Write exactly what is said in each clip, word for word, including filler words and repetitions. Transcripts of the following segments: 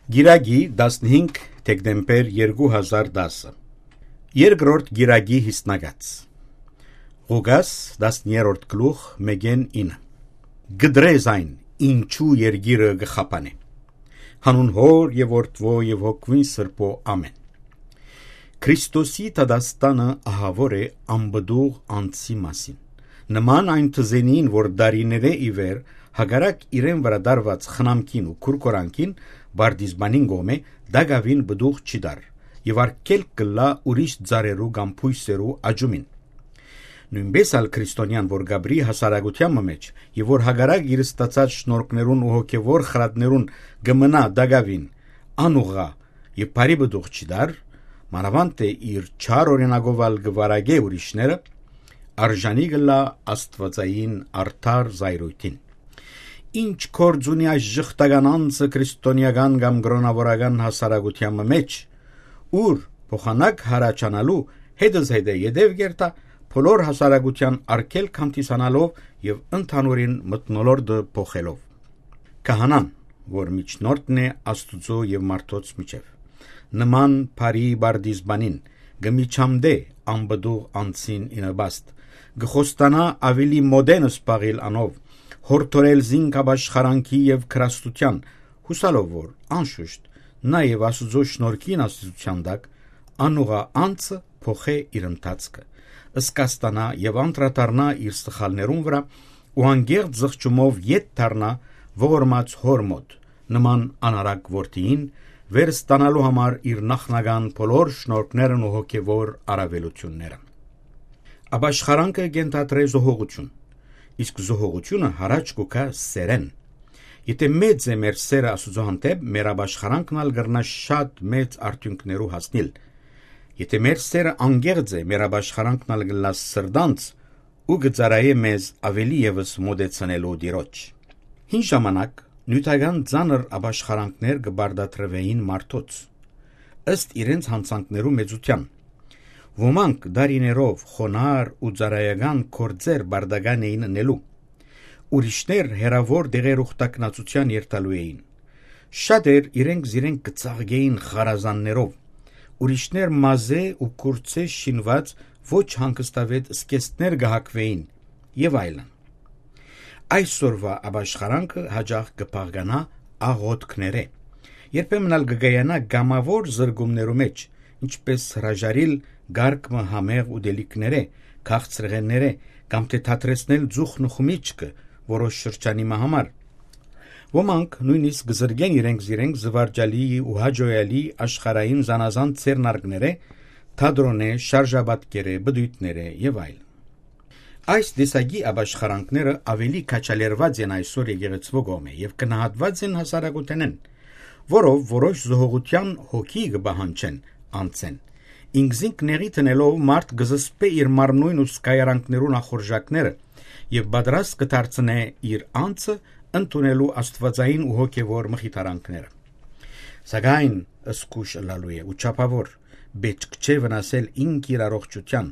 Կիրակի, տասնհինգ դեկտեմբեր երկու հազար տասը։ Երկրորդ կիրակի յիսնակաց։ Ղուկաս, տասներորդ գլուխ, մէկէն ինը։ Կտրե զայն, ինչու երկիրը կը խափանէ։ Հանուն Հօր եւ Որդուոյ եւ Հոգւոյն Սրբոյ, ամէն։ Քրիստոսի դատաստանը ահաւոր է անպտուղ անձի մասին։ Նման այն թզենին, որ դարիներէ ի վեր, հակառակ իրեն վրայ դարված խնամքին ու քուրքորանքին, պարտիզպանին կողմէ տակաւին պտուղ չի տար եւ արգելք կ'ըլլայ ուրիշ ծառերու կամ բոյսերու աճումին։ Նոյնպէս ալ քրիստոնեան, որ կ'ապրի հասարակութեան մը մէջ եւ որ հակառակ իր ստացած շնորհքներուն ու հոգեւոր խրատներուն կը մնայ տակաւին անուղղ եւ բարի պտուղ չի տար, մանաւանդ թէ իր չար օրինակով ալ կը վարակէ ուրիշները, արժանի կ'ըլլայ աստուածային արդար զայրոյթին։ Ի՞նչ գործ ունի այս ժխտական անձը քրիստոնեական կամ կրօնաւորական հասարակութեան մը մէջ, ուր փոխանակ յառաջանալու հետզհետէ ետեւ կ'երթայ, բոլոր հասարակութեան արգելք հանդիսանալով եւ ընդհանուրին մթնոլորտը փոխելով։ Քահանան, որ միջնորդն է Աստուծոյ եւ մարդոց միջեւ, նման բարի պարտիզպանին կը միջամտէ անպտուղ անձին ի նպաստ, կը խոստանայ աւելի մօտէն զբաղիլ անով, յորդորել զինք ապաշխարանքի եւ գրաստութեան, յուսալով որ, անշուշտ, նաեւ Աստուծոյ շնորհքին ազդեցութեան տակ անուղղ անձը փոխէ իր ընթացքը, զգաստանայ եւ անդրադառնայ իր սխալներուն վրայ ու անկեղծ զղջումով ետ դառնայ ողորմած Հօր մօտ, նման անառակ որդիին, վեր ստանալու համար իր նախնական բոլոր շնորհքներն ու հոգեվոր առավելութիւնները։ Ապաշխարանքը կ'ենթադրէ զոհողութիւն, իսկ զոհողութիւնը յառաջ կու գայ սէրէն։ Եթէ մեծ է մեր սէրը Աստուծոյ հանդէպ, մեր ապաշխարանքն ալ կրնայ շատ մեծ արդիւնքներու հասնիլ։ Եթէ մեր սէրը անկեղծ է, մեր ապաշխարանքն ալ կ'ըլլայ սրտանց ու կը ծառայէ մեզ աւելի եւս մօտեցնելու Տիրոջ։ Հին ժամանակ նիւթական ծանր ապաշխարանքներ կը պարտադրուէին մարդոց, ըստ իրենց յանցանքներու մեծութեան։ Ոմանք դարիներով խոնարհ ու ծառայական գործեր պարտական էին ընելու։ Ուրիշներ հեռաւոր տեղեր ուխտակնացութեան երթալու էին։ Շատեր իրենք զիրենք կը ծաղկէին խարազաններով, ուրիշներ մազէ ու կուրծէ շինուած ոչ հանգստավետ զգեստներ կը հագուէին եւ այլն։ Այսօրուայ ապաշխարանքը յաճախ կը բաղկանայ աղօթքներէ, երբեմն ալ կը կայանայ կամաւոր զրկումներու մէջ, ինչպէս հրաժարիլ կարգ մը համեղ ուտելիքներէ, քաղցրեղէններէ կամ թէ դադրեցնել ձուխն ու խմիչքը որոշ շրջանի մը համար։ Ոմանք նոյնիսկ կը զրկեն իրենք զիրենք զուարճալի ու հաճոյալի աշխարհային զանազան ձեռնարկներէ, թատրոնէ, շարժապատկերէ, պտոյտներէ եւ այլն։ Այս տեսակի ապաշխարանքները աւելի քաջալերուած են այսօր եկեղեցւոյ կողմէ եւ գնահատուած են հասարակութենէն, որով որոշ զոհողութեան հոգի կը պահանջեն անձէն։ Ինքզինք նեղի դնելով մարդ կը զսպէ իր մարմնոյն ու զգայարանքներուն ախորժակները եւ պատրաստ կը դարձնէ իր անձը ընդունելու աստուածային ու հոգեվոր մխիթարանքները։ Սակայն զգոյշ ըլլալու է ու չափաւոր, պէտք չէ վնասել ինք իր առողջութեան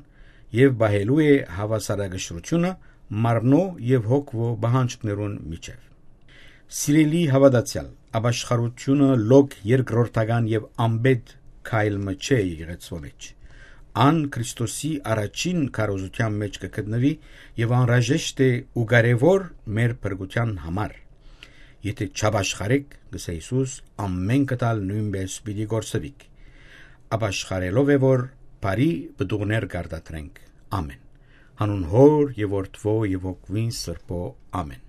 եւ պահելու է հաւասարակշռութիւնը մարմնոյ եւ հոգեվոր պահանջքներուն միջեւ։ Սիրելի հաւատացեալ, ապաշխարութիւնը լոկ երկրորդական եւ անպէտ քայլ մը չէ եկեղեցւոյ մէջ։ Ան Քրիստոսի առաջին քարոզութեան մէջ կը գտնուի եւ անհրաժեշտ է ու կարեւոր մեր փրկութեան համար։ Եթէ չապաշխարէք, կ'ըսէ Յիսուս, ամէնքդ ալ նոյնպէս պիտի կորսուիք։ Ապաշխարելով է որ բարի պտուղներ կ'արտադրենք։ Ամէն։ Հանուն Հօր եւ Որդուոյ եւ Հոգուին Սրբոյ։ Ամէն։